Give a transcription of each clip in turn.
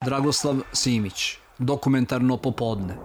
Dragoslav Simić, Dokumentarno popodne.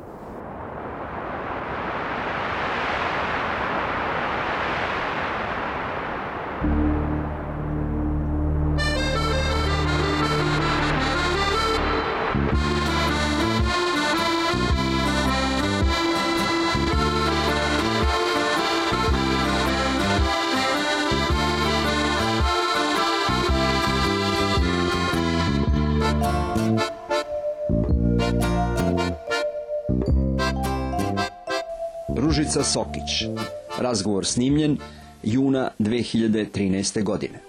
Ružica Sokić. Razgovor snimljen juna 2013. godine.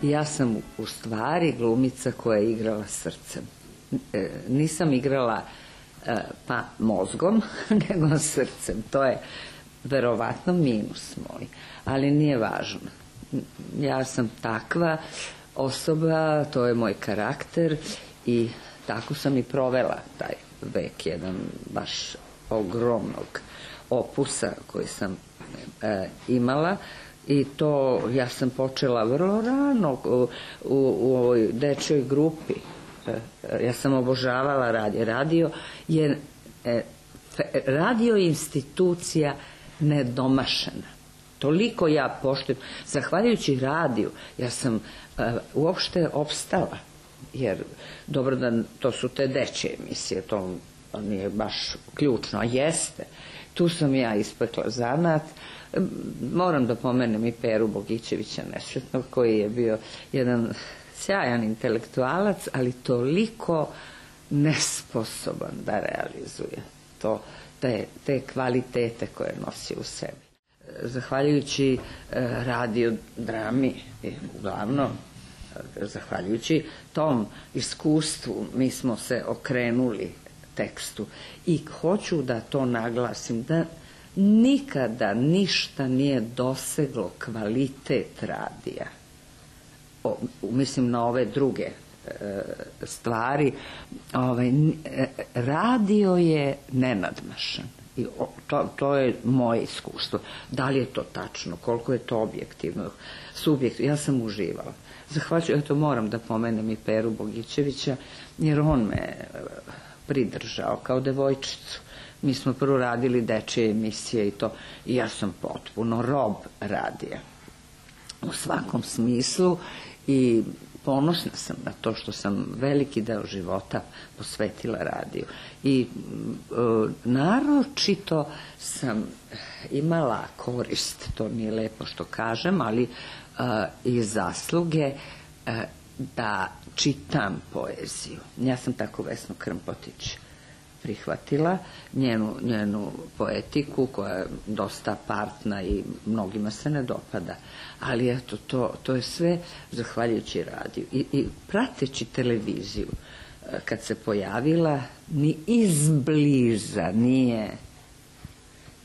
Ja sam u stvari glumica koja je igrala srcem. Nisam igrala pa mozgom, nego srcem. To je verovatno minus moj, ali nije važno. Ja sam takva osoba, to je moj karakter i tako sam i provela taj vek, jedan baš ogromnog opusa koji sam imala. I to ja sam počela vrlo rano u ovoj dečjoj grupi. Ja sam obožavala radio. Radio je institucija nedomašena. Toliko ja poštujem. Zahvaljujući radiju ja sam uopšte opstala. Jer, dobro da to su te dečje emisije, to nije baš ključno, a jeste. Tu sam ja ispekla zanat. Moram da pomenem i Peru Bogićevića nesretnog, koji je bio jedan sjajan intelektualac, ali toliko nesposoban da realizuje te kvalitete koje nosi u sebi. Zahvaljujući radiodrami, uglavnom, zahvaljujući tom iskustvu, mi smo se okrenuli tekstu i hoću da to naglasim, da nikada ništa nije doseglo kvalitet radija. Mislim na ove druge stvari. Radio je nenadmašan. I to je moje iskustvo. Da li je to tačno? Koliko je to objektivno? Subjektivno? Ja sam uživala. Zahvaljujući, eto moram da pomenem i Peru Bogićevića, jer on me pridržao kao devojčicu. Mi smo prvo radili dečje emisije i ja sam potpuno rob radija u svakom smislu i ponosna sam na to što sam veliki deo života posvetila radiju. I naročito sam imala korist, to nije lepo što kažem, ali i zasluge da čitam poeziju. Ja sam tako Vesnu Krmpotić prihvatila, njenu poetiku koja je dosta partna i mnogima se ne dopada, ali eto to je sve zahvaljujući radiju i prateći televiziju kad se pojavila ni izbliza nije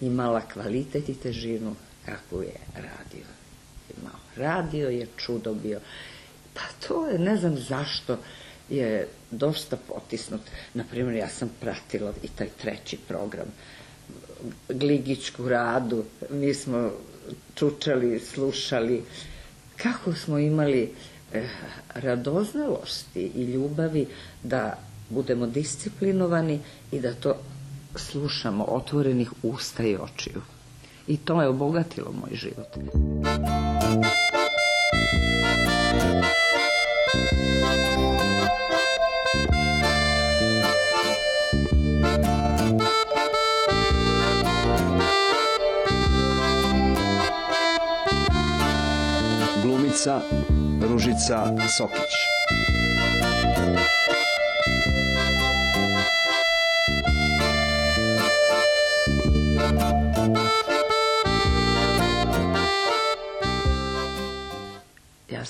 imala kvalitet i težinu kakvu je radio imao. Radio je čudo bio, pa to je, ne znam zašto je dosta potisnut. Naprimjer, ja sam pratila i taj treći program, Gligićku Radu, mi smo čučali, slušali, kako smo imali radoznalosti i ljubavi da budemo disciplinovani i da to slušamo otvorenih usta i očiju. I to je obogatilo moj život. Glumica Ružica Sokić.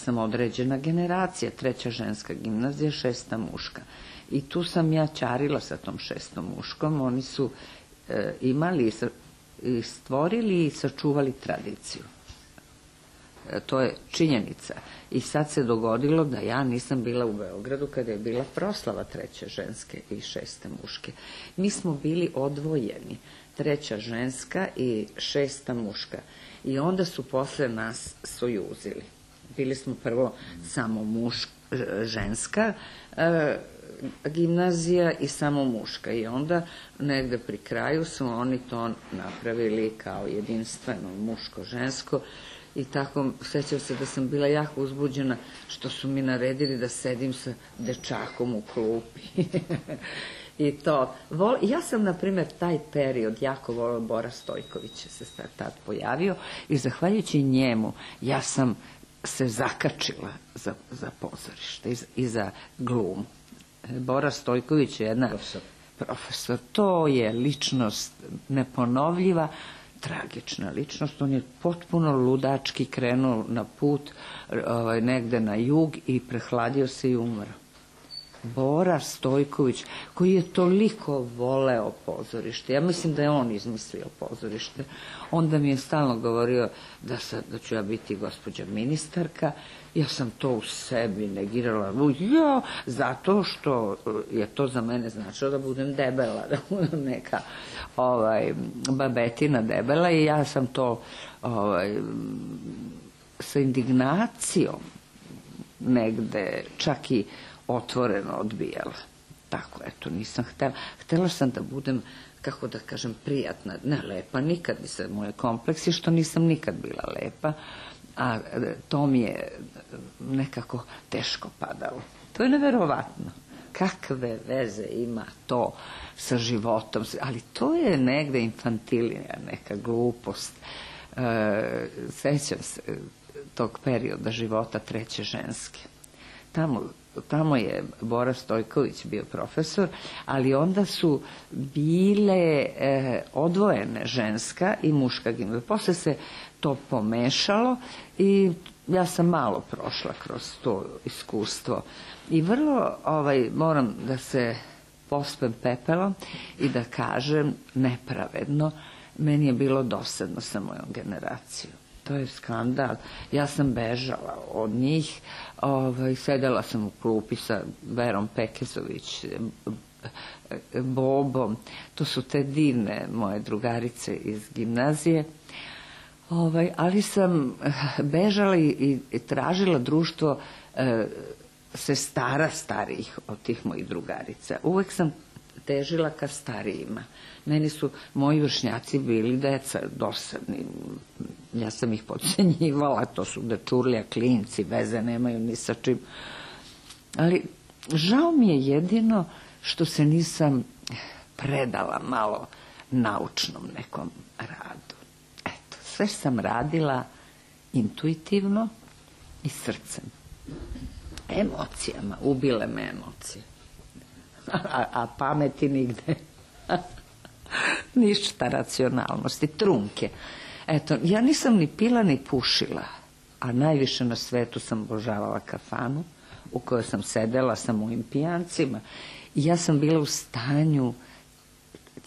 sam određena generacija, 3. ženska gimnazija, 6. muška. I tu sam ja ćarila sa tom 6. muškom, oni su imali i stvorili i sačuvali tradiciju. To je činjenica. I sad se dogodilo da ja nisam bila u Beogradu kada je bila proslava 3. ženske i 6. muške. Mi smo bili odvojeni, 3. ženska i 6. muška. I onda su posle nas sojuzili. Bili smo prvo samo ženska gimnazija i samo muška. I onda negde pri kraju su oni to napravili kao jedinstveno muško-žensko. I tako, sećam se da sam bila jako uzbuđena što su mi naredili da sedim sa dečakom u klupi. I to. Ja sam, na primjer, taj period jako volila, Bora Stojković se tad pojavio i zahvaljujući njemu ja sam se zakačila za pozorište i za glumu. Bora Stojković je jedna profesor. To je ličnost neponovljiva, tragična ličnost. On je potpuno ludački krenuo na put negde na jug i prehladio se i umro. Bora Stojković, koji je toliko voleo pozorište, ja mislim da je on izmislio pozorište, onda mi je stalno govorio da ću ja biti gospođa ministarka. Ja sam to u sebi negirala, zato što je to za mene značilo da budem debela, da budem neka babetina debela, i ja sam to sa indignacijom negde čak i otvoreno odbijala. Tako, eto, nisam htela. Htela sam da budem, kako da kažem, prijatna, ne lepa, nikad nisam, moje kompleksi što nisam nikad bila lepa, a to mi je nekako teško padalo. To je neverovatno. Kakve veze ima to sa životom, ali to je negde infantilija, neka glupost. Sećam se tog perioda života 3. ženske. Tamo je Bora Stojković bio profesor, ali onda su bile odvojene ženska i muška gimnazija. Posle se to pomešalo i ja sam malo prošla kroz to iskustvo. I vrlo moram da se pospem pepelom i da kažem nepravedno, meni je bilo dosadno sa mojom generacijom. To je skandal. Ja sam bežala od njih, sedela sam u klupi sa Verom Pekezović, Bobom. To su te divne moje drugarice iz gimnazije. Ali sam bežala i tražila društvo sestara starijih od tih mojih drugarica. Uvek sam težila ka starijima. Meni su moji vršnjaci bili deca dosadni. Ja sam ih podcenjivala, to su dečurlija, klinci, veze nemaju ni sa čim. Ali žao mi je jedino što se nisam predala malo naučnom nekom radu. Eto, sve sam radila intuitivno i srcem. Emocijama, ubile me emocije. A pameti nigde. Ništa racionalnosti, trunke. Eto, ja nisam ni pila ni pušila, a najviše na svetu sam obožavala kafanu u kojoj sam sedela sa mojim pijancima i ja sam bila u stanju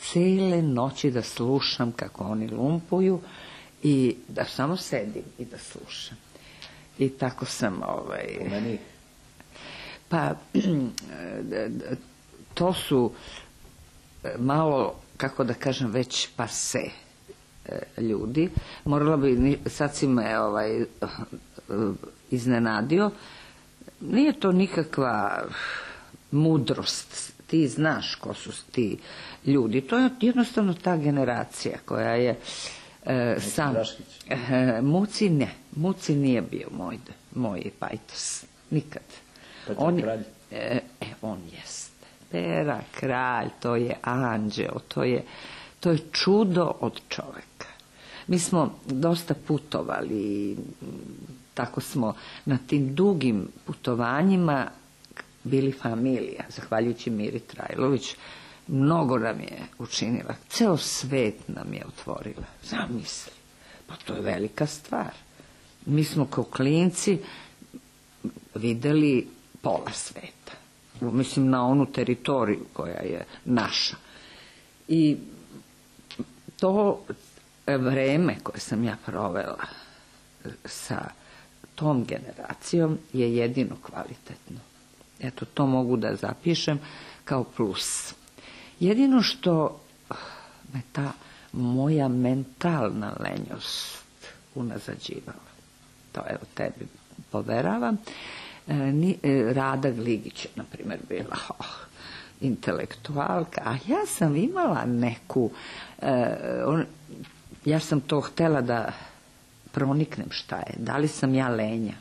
cele noći da slušam kako oni lumpuju i da samo sedim i da slušam. I tako sam pa to su malo, kako da kažem, već pase ljudi. Morala bi, sad si me iznenadio, nije to nikakva mudrost, ti znaš ko su ti ljudi, to je jednostavno ta generacija koja je sam Muci nije bio moj pajtos, nikad. On jeste Pera kralj, to je anđeo, to je čudo od čoveka. Mi smo dosta putovali i tako smo na tim dugim putovanjima bili familija, zahvaljujući Miri Trajlović. Mnogo nam je učinila, ceo svet nam je otvorila, zamisli, pa to je velika stvar. Mi smo kao klinci videli pola sveta. Mislim na onu teritoriju koja je naša. I to vreme koje sam ja provela sa tom generacijom je jedino kvalitetno. Eto, to mogu da zapišem kao plus. Jedino što me ta moja mentalna lenjost unazađivala, to evo tebi poveravam, Rada Gligić je, na primjer, bila intelektualka, a ja sam imala neku, ja sam to htela da proniknem šta je, da li sam ja lenja,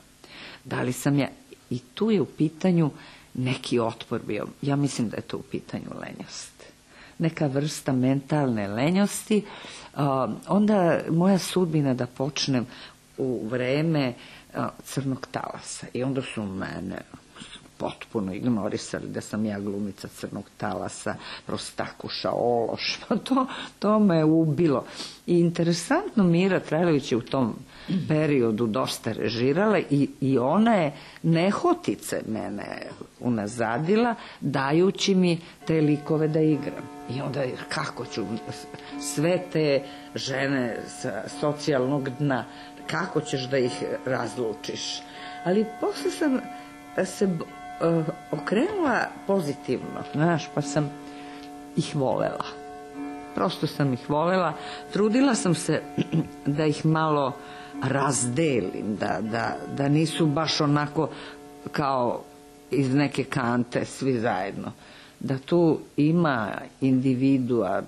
da li sam ja, i tu je u pitanju neki otpor bio, ja mislim da je to u pitanju lenjost, neka vrsta mentalne lenjosti, onda moja sudbina da počnem u vreme Crnog talasa i onda su mene potpuno ignorisali da sam ja glumica Crnog talasa, prostakuša, ološ, pa to me ubilo. I interesantno, Mira Trajlović je u tom periodu dosta režirala i ona je nehotice mene unazadila, dajući mi te likove da igram. I onda kako ću sve te žene sa socijalnog dna, kako ćeš da ih razlučiš? Ali posle sam se okrenula pozitivno, znaš, pa sam ih volela. Prosto sam ih volela. Trudila sam se da ih malo razdelim, da nisu baš onako kao iz neke kante svi zajedno. Da tu ima individua,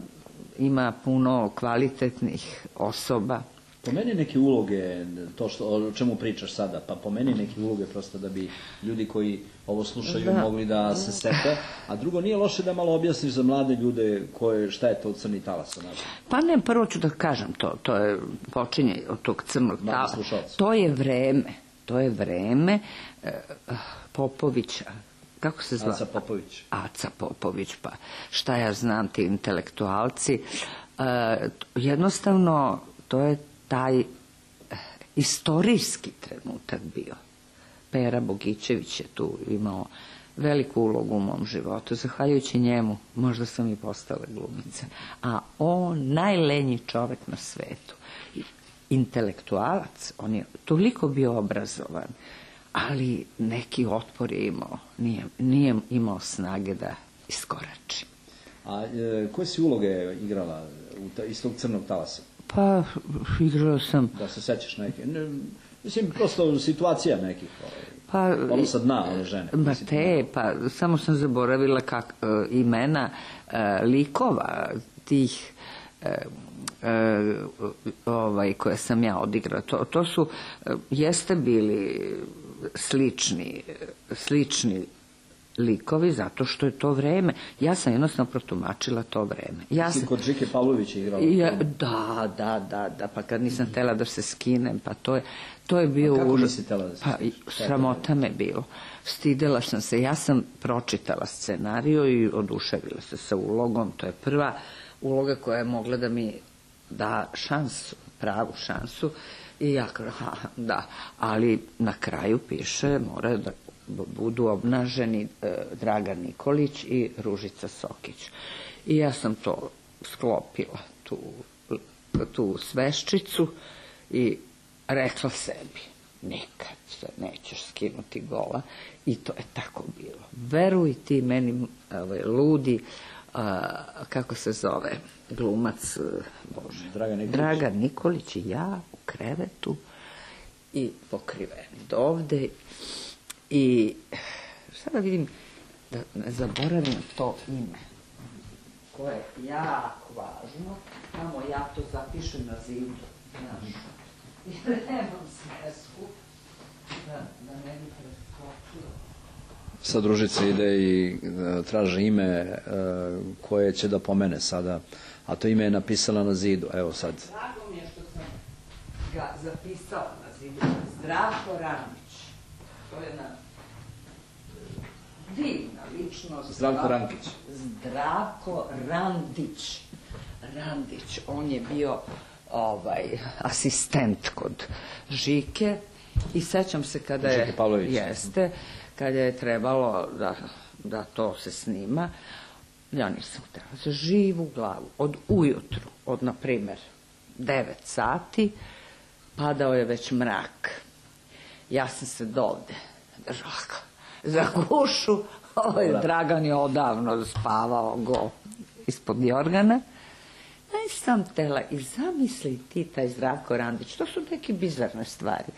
ima puno kvalitetnih osoba. Pomeni neke uloge, to o čemu pričaš sada, pa pomeni neke uloge prosto da bi ljudi koji ovo slušaju mogli da se sete, a drugo, nije loše da malo objasniš za mlade ljude šta je to Crni talas. Pa ne, prvo ću da kažem to je počinje od tog Crnog talasa. To je vreme Popovića, kako se zva? Aca Popović, pa šta ja znam, ti intelektualci. Jednostavno, to je taj istorijski trenutak bio. Pera Bogićević je tu imao veliku ulogu u mom životu. Zahvaljujući njemu, možda sam i postala glumica. A on, najlenji čovek na svetu, intelektualac, on je toliko bio obrazovan, ali neki otpor je imao. Nije imao snage da iskorači. A koje si uloge igrala iz tog Crnog talasa? Pa, igrala sam... Da se sećaš neke? Mislim, prosto situacija nekih. Ono sa dna, one žene. Pa samo sam zaboravila imena likova tih koje sam ja odigrala. To su, jeste bili slični likovi, zato što je to vreme. Ja sam jednostavno protumačila to vreme. Si kod Žike Pavlovića igrala? Da, pa kad nisam htela da se skinem, pa to je bio... Kako nisi htela da se skinem? Sramota me bilo. Stidela sam se. Ja sam pročitala scenariju i oduševila se sa ulogom. To je prva uloga koja je mogla da mi da šansu, pravu šansu. I ja da, ali na kraju piše, mora da budu obnaženi Dragan Nikolić i Ružica Sokić. I ja sam to sklopila, tu sveščicu, i rekla sebi, nikad se nećeš skinuti gola, i to je tako bilo. Veruj ti meni, ludi, kako se zove, glumac, Dragan Nikolić i ja u krevetu i pokriveni dovde. I sada vidim da ne zaboravim to ime koje je jako važno, tamo ja to zapišem na zidu, znaš, jer nemam svesku da ne bi preskočila. Sad Ružica ide i traži ime koje će da pomene sada, a to ime je napisala na zidu, evo sad. Drago mi je što sam ga zapisala na zidu, Zdravko Randić. To je jedna divna ličnost. Zdravko Rankić. Zdravko Randić. On je bio asistent kod Žike I sećam se kada Žike Pavlović. kada je trebalo da to se snima, ja nisam htjela za živu glavu. Od ujutru, od na primjer 9 sati, padao je već mrak. Ja sam se dovde držala za gušu, Dragan je odavno spavao go ispod jorgana. Nisam tela i zamisli ti taj Zdravko Randić, to su neke bizarne stvari.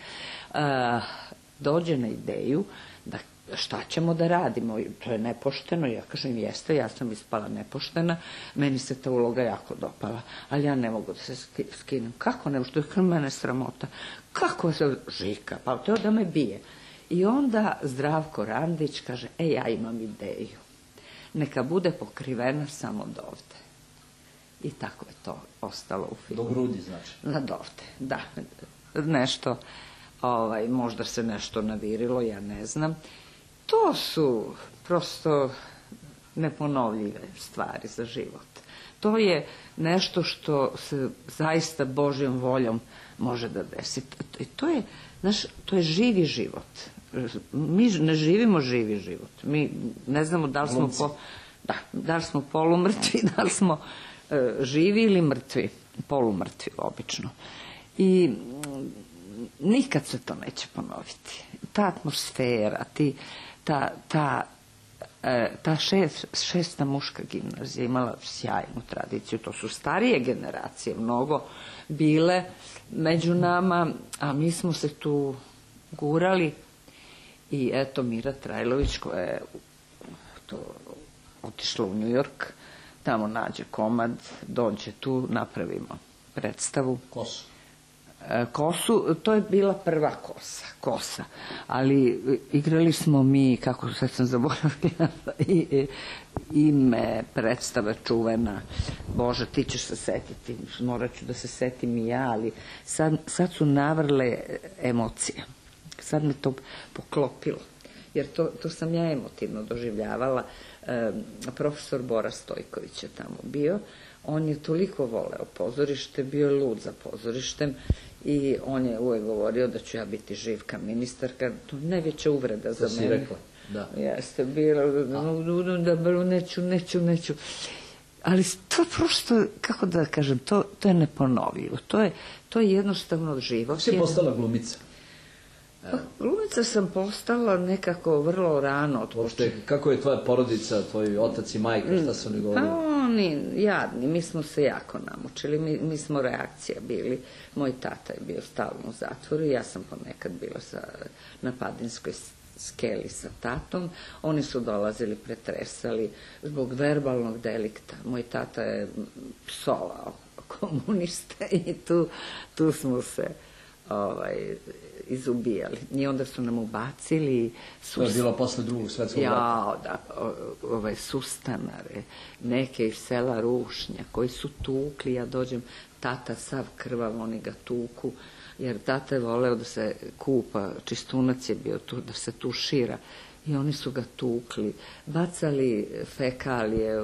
Dođe na ideju da šta ćemo da radimo, to je nepošteno, ja kažem jeste, ja sam ispala nepoštena, meni se ta uloga jako dopala, ali ja ne mogu da se skinem. Kako ne, što je mene sramota, kako se Žika, pa to da me bije. I onda Zdravko Randić kaže, ja imam ideju, neka bude pokrivena samo do ovde. I tako je to ostalo u filmu. Do grudi, znači. Na dovde, da. Nešto, možda se nešto navirilo, ja ne znam. To su prosto neponovljive stvari za život. To je nešto što se zaista Božjom voljom može da desi. To je živi život. Mi ne živimo živi život. Mi ne znamo da li smo polumrtvi, da li smo živi ili mrtvi, polumrtvi obično. I nikad se to neće ponoviti. Ta atmosfera, ta šesta muška gimnazija imala sjajnu tradiciju, to su starije generacije mnogo bile među nama, a mi smo se tu gurali i eto Mira Trajlović koja je otišla u New York, tamo nađe komad, dođe tu, napravimo predstavu. Kosu, to je bila prva kosa, ali igrali smo mi, kako sad sam zaboravila, ime predstave čuvena, Bože, ti ćeš se setiti, morat ću da se setim i ja, ali sad su navrle emocije, sad me to poklopilo, jer to sam ja emotivno doživljavala. Profesor Bora Stojković je tamo bio, on je toliko voleo pozorište, bio je lud za pozorištem i on je uvek govorio da ću ja biti živka ministarka, to je najveća uvreda za mene. To si rekla, da. Jeste, bilo, neću. Ali to prosto, kako da kažem, to je neponovljivo, to je jednostavno život. Kako si postala glumica? Glumica sam postala nekako vrlo rano. Kako je tvoja porodica, tvoj otac i majka, šta su oni govorili? Pa oni, jadni, mi smo se jako namučili, mi smo reakcija bili. Moj tata je bio stalno u zatvoru, ja sam ponekad bila na Padinskoj skeli sa tatom. Oni su dolazili, pretresali zbog verbalnog delikta. Moj tata je psovao komuniste i tu smo se izubijali. I onda su nam ubacili... To je bilo posle Drugog svetskog rata. Da, sustanare, neke iz sela Rušnja, koji su tukli, ja dođem, tata sav krvav, oni ga tuku, jer tata je voleo da se kupa, čistunac je bio tu, da se tušira, i oni su ga tukli, bacali fekalije,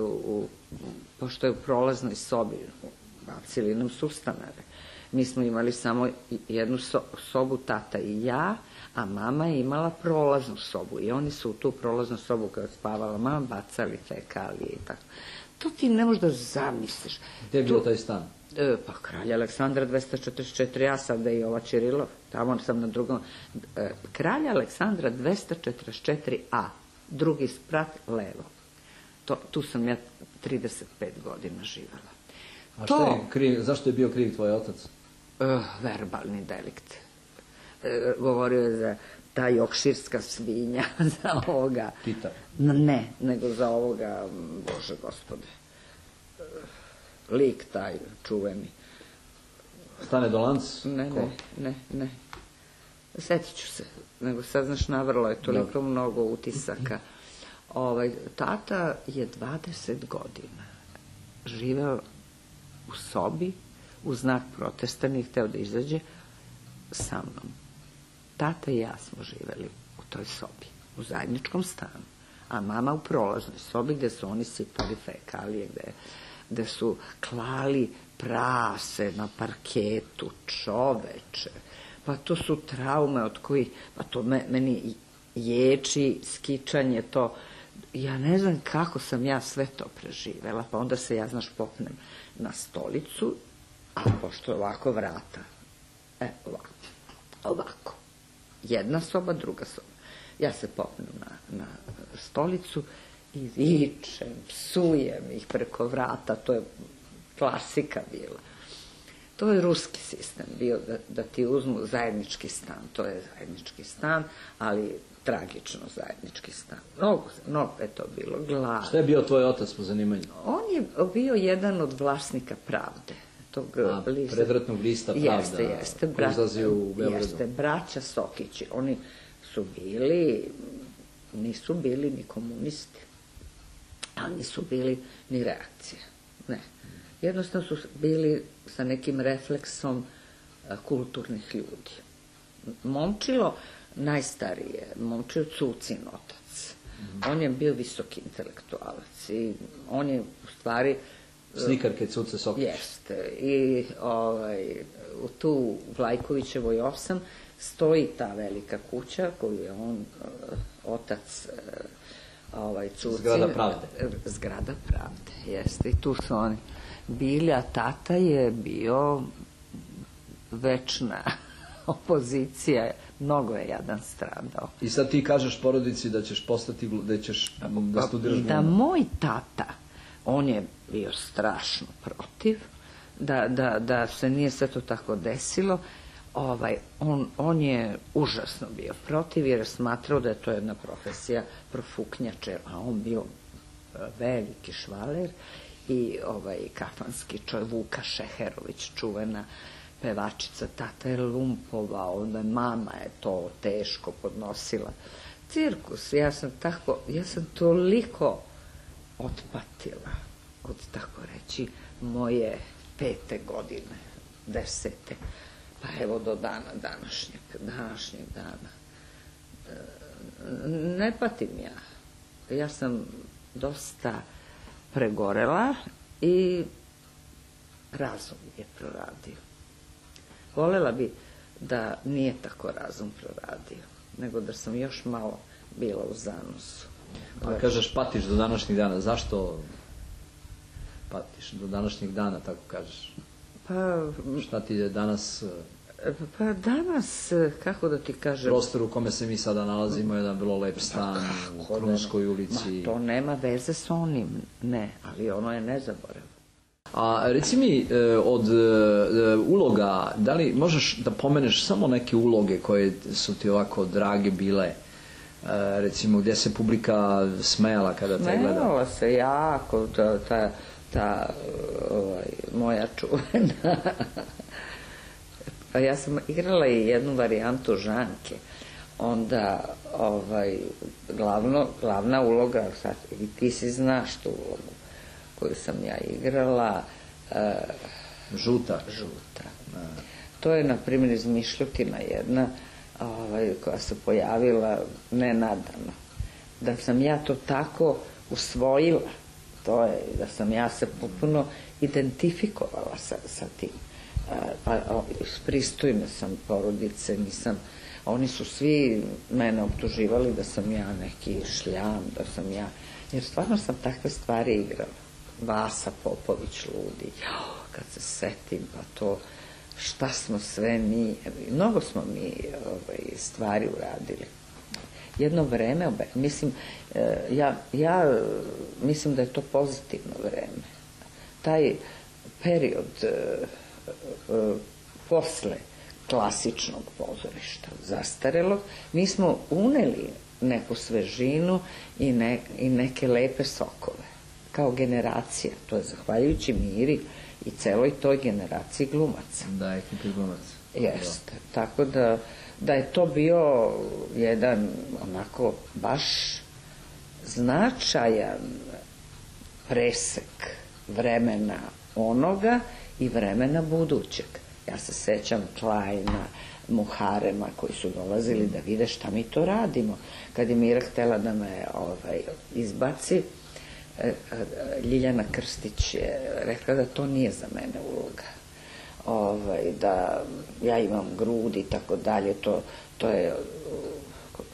pošto je u prolaznoj sobi, bacili nam sustanare. Mi smo imali samo jednu sobu, tata i ja, a mama je imala prolaznu sobu i oni su u tu prolaznu sobu kada je spavala mama bacali fekalije i tako. To ti ne možeš da zamisliš. Gde je bio taj stan? Pa Kralja Aleksandra 244, ja sam da i ova Čirilov, tamo sam na drugom. Kralja Aleksandra 244a, drugi sprat levo. Tu sam ja 35 godina živela. A zašto je bio kriv tvoj otac? Verbalni delikt. Govorio je za ta jokširska svinja, za ovoga... Tita? Ne, nego za ovoga, Bože gospode, lik taj čuveni. Stane Dolanc? Ne. Sjetit ću se, nego sad znaš navrlo je toliko mnogo utisaka. Tata je 20 godina živeo u sobi, u znak protesta, nije hteo da izađe sa mnom. Tata i ja smo živeli u toj sobi, u zajedničkom stanu, a mama u prolaznoj sobi gde su oni sipali fekalije, gde su klali prase na parketu, čoveče. Pa to su traume od kojih, pa to meni ječi, skičanje, to, ja ne znam kako sam ja sve to preživela, pa onda se ja, znaš, popnem na stolicu, a pošto je ovako vrata, ovako, jedna soba, druga soba, ja se popnem na stolicu i vičem, psujem ih preko vrata, to je klasika bila. To je ruski sistem bio, da ti uzmu zajednički stan. To je zajednički stan, ali tragično zajednički stan. Mnogo je to bilo glad. Šta je bio tvoj otac po zanimanju? On je bio jedan od vlasnika Pravde. Predratnog lista Pravda. Jeste. Koji izlazi u Beogradu. Jeste, braća Sokići. Oni su bili, nisu bili ni komunisti, ali nisu bili ni reakcije. Ne. Jednostavno su bili sa nekim refleksom kulturnih ljudi. Momčilo, najstarije, Momčilo Cucin otac. On je bio visoki intelektualac i on je u stvari... Slikarke Cuce Sokić. Jeste. I tu u Vlajkovićevoj 8 stoji ta velika kuća koju je on, otac Cucin... Zgrada Pravde. Zgrada Pravde, jeste. I tu su oni bili, a tata je bio večna opozicija, mnogo je jadan stradao. I sad ti kažeš porodici da ćeš postati, da studiraš glumu? Da moj tata, on je bio strašno protiv, da se nije sve to tako desilo, on je užasno bio protiv jer je smatrao da je to jedna profesija profuknjače, a on bio veliki švaler i kafanski čovjek, Vuka Šeherović, čuvena pevačica, tata je lumpovao, mama je to teško podnosila. Cirkus, ja sam toliko otpatila od, tako reći, moje 5. godine, 10. pa evo do današnjeg dana. Ne patim ja. Ja sam dosta pregorela i razum je proradio. Volela bi da nije tako razum proradio, nego da sam još malo bila u zanosu. A kažeš patiš do današnjeg dana, zašto patiš do današnjeg dana, tako kažeš? Pa... Šta ti je danas... Pa danas, kako da ti kažem... Prostor u kome se mi sada nalazimo je jedan vrlo lep stan u Krunskoj ulici. Ma to nema veze s onim, ne, ali ono je nezaboravno. A reci mi, od uloga, da li možeš da pomeneš samo neke uloge koje su ti ovako drage bile, recimo gdje se publika smejala kada te gleda? Smejala se jako, ta moja čuvena. Pa ja sam igrala i jednu varijantu Žanke, onda glavna uloga, sad, i ti si znaš tu ulogu koju sam ja igrala. Žuta. To je, na primjer, izmišljotina jedna koja se pojavila nenadano. Da sam ja to tako usvojila, to je da sam ja se potpuno identifikovala sa tim. Iz pristojne sam porodice, oni su svi mene optuživali da sam ja neki šljam, da sam ja, jer stvarno sam takve stvari igrala. Vasa Popović ludi, kad se setim, pa to, šta smo sve mi, mnogo smo mi stvari uradili. Jedno vreme, mislim, ja mislim da je to pozitivno vreme. Taj period posle klasičnog pozorišta, zastarelog, mi smo uneli neku svežinu i neke lepe sokove, kao generacija. To je zahvaljujući Miri i celoj toj generaciji glumaca. Da, ekipi glumaca. Jeste. Tako da je to bio jedan onako baš značajan presek vremena onoga i vremena budućeg. Ja se sećam Klajna, Muharema koji su dolazili da vide šta mi to radimo. Kad je Mira htela da me izbaci, Ljiljana Krstić je rekla da to nije za mene uloga. da ja imam grudi i tako dalje, to je,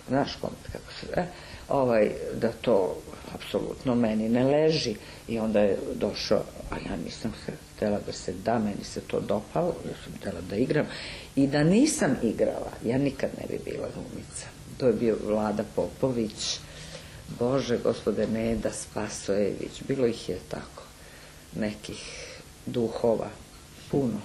znaš kako se da to apsolutno meni ne leži. I onda je došao, a ja nisam se htjela da se da, meni se to dopalo, ja sam htjela da igram. I da nisam igrala, ja nikad ne bi bila glumica. To je bio Vlada Popović, Bože, gospode Neda Spasojević, bilo ih je tako, nekih duhova, puno.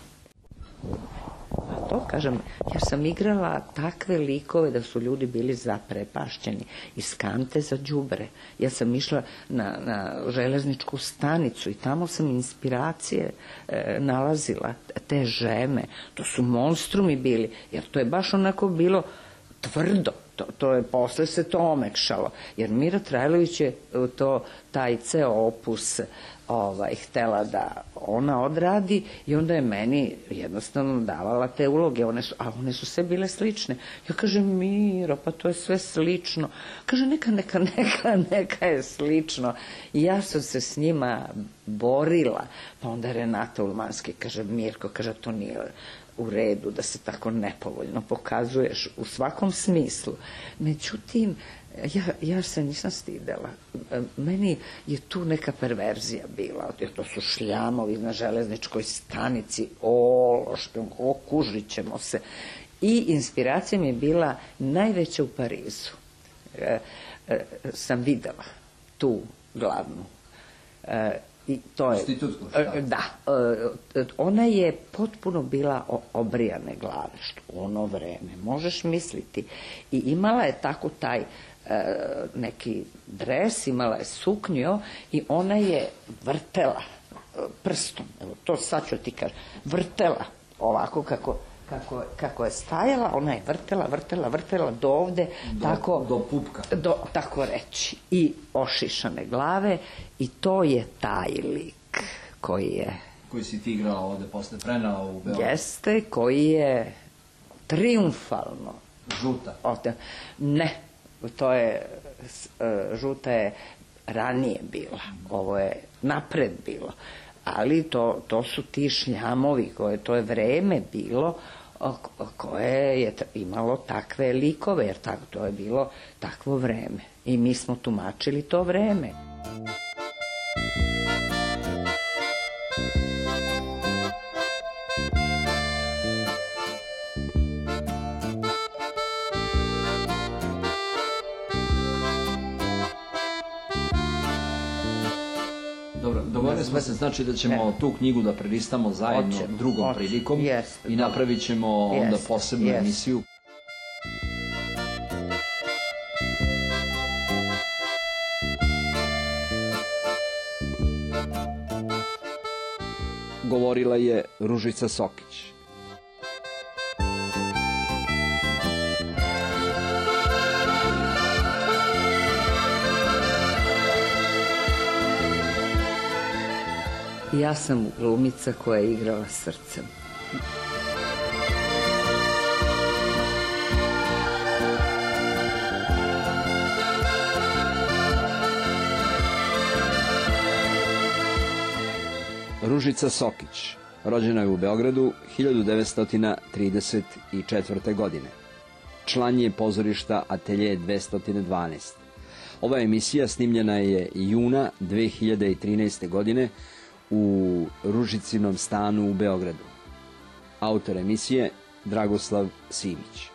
A to, kažem, ja sam igrala takve likove da su ljudi bili zaprepašćeni, iz kante za đubre. Ja sam išla na železničku stanicu i tamo sam inspiracije nalazila, te žeme, to su monstrumi bili, jer to je baš onako bilo tvrdo. Posle se to omekšalo, jer Mira Trajlović je taj ceo opus htela da ona odradi i onda je meni jednostavno davala te uloge, a one su sve bile slične. Ja kažem, Miro, pa to je sve slično. Kaže, neka je slično. I ja sam se s njima borila. Pa onda Renata Ulmanski kaže, Mirko, kaže, to nije u redu da se tako nepovoljno pokazuješ u svakom smislu. Međutim, ja se nisam stidela. Meni je tu neka perverzija bila. To su šljamovi na železničkoj stanici, okužit ćemo se. I inspiracija mi je bila najveća u Parizu. Sam videla tu glavnu. I to je, da, ona je potpuno bila obrijane glave, što u ono vreme, možeš misliti. I imala je tako taj neki dres, imala je suknju i ona je vrtela prstom, evo to sad ću ti kažem, vrtela ovako kako je stajala, ona je vrtela do ovde, do pupka, tako reći, i ošišane glave, i to je taj lik koji si ti igrala ovde posle prenala u Beogradu. Jeste, koji je triumfalno. Žuta? Ne, to je, žuta je ranije bila, ovo je napred bilo. Ali to su ti šljamovi, to je vreme bilo koje je imalo takve likove, jer to je bilo takvo vreme. I mi smo tumačili to vreme. Dogovorili smo se, znači da ćemo tu knjigu da prelistamo zajedno drugom prilikom i napravit ćemo onda posebnu emisiju. Govorila je Ružica Sokić. Ja sam glumica koja je igrala srcem. Ružica Sokić, rođena je u Beogradu 1934. godine. Član je pozorišta Atelje 212. Ova emisija snimljena je juna 2013. godine u Ružicinom stanu u Beogradu. Autor emisije Dragoslav Simić.